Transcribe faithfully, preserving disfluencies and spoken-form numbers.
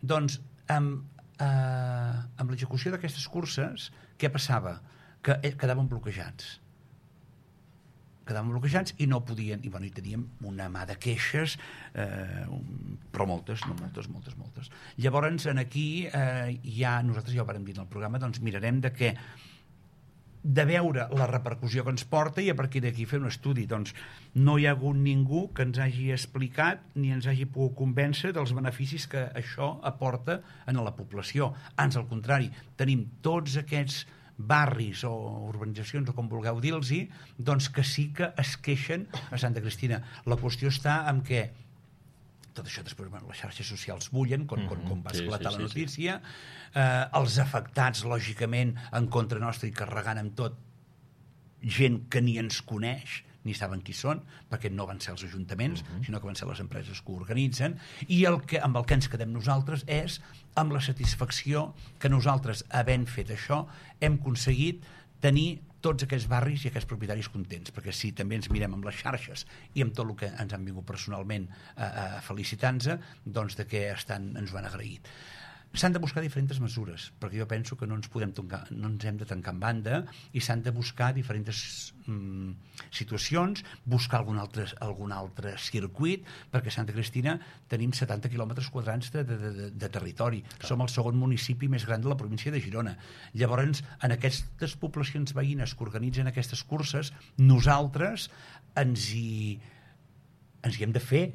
Doncs amb, eh, amb l'execució d'aquestes curses, què passava? Que quedaven bloquejats. quedaven bloquejats i no podien, i, bueno, i teníem una mà de queixes, eh, però moltes, no moltes, moltes, moltes. Llavors, en aquí, eh, ja, nosaltres ja ho vàrem dir en el programa, doncs mirarem de què de veure la repercussió que ens porta i a partir d'aquí fer un estudi. Doncs no hi ha hagut ningú que ens hagi explicat ni ens hagi pogut convèncer dels beneficis que això aporta a la població. Ans, al contrari, tenim tots aquests barris o urbanitzacions, o com vulgueu dir-los, doncs que sí que es queixen a Santa Cristina. La qüestió està en què tot això després, bueno, les xarxes socials bullen, com, com, com va esclatar sí, sí, la notícia, sí, sí. Eh, els afectats, lògicament, en contra nostra i carregant amb tot gent que ni ens coneix, ni saben qui són, perquè no van ser els ajuntaments, uh-huh. sinó que van ser les empreses que ho organitzen, i el que, amb el que ens quedem nosaltres és amb la satisfacció que nosaltres, havent fet això, hem aconseguit tenir tots aquests barris i aquests propietaris contents, perquè si també ens mirem amb les xarxes i amb tot el que ens han vingut personalment a, a felicitar-nos, doncs de què estan, ens ho han agraït. S'han de buscar diferents mesures, perquè jo penso que no ens podem tancar, no ens hem de tancar en banda, i s'han de buscar diferents mm, situacions, buscar algun altre, algun altre circuit, perquè a Santa Cristina tenim setanta quilòmetres quadrats de, de, de, de territori. Clar. Som el segon municipi més gran de la província de Girona. Llavors, en aquestes poblacions veïnes que organitzen aquestes curses, nosaltres ens hi, ens hi hem de fer,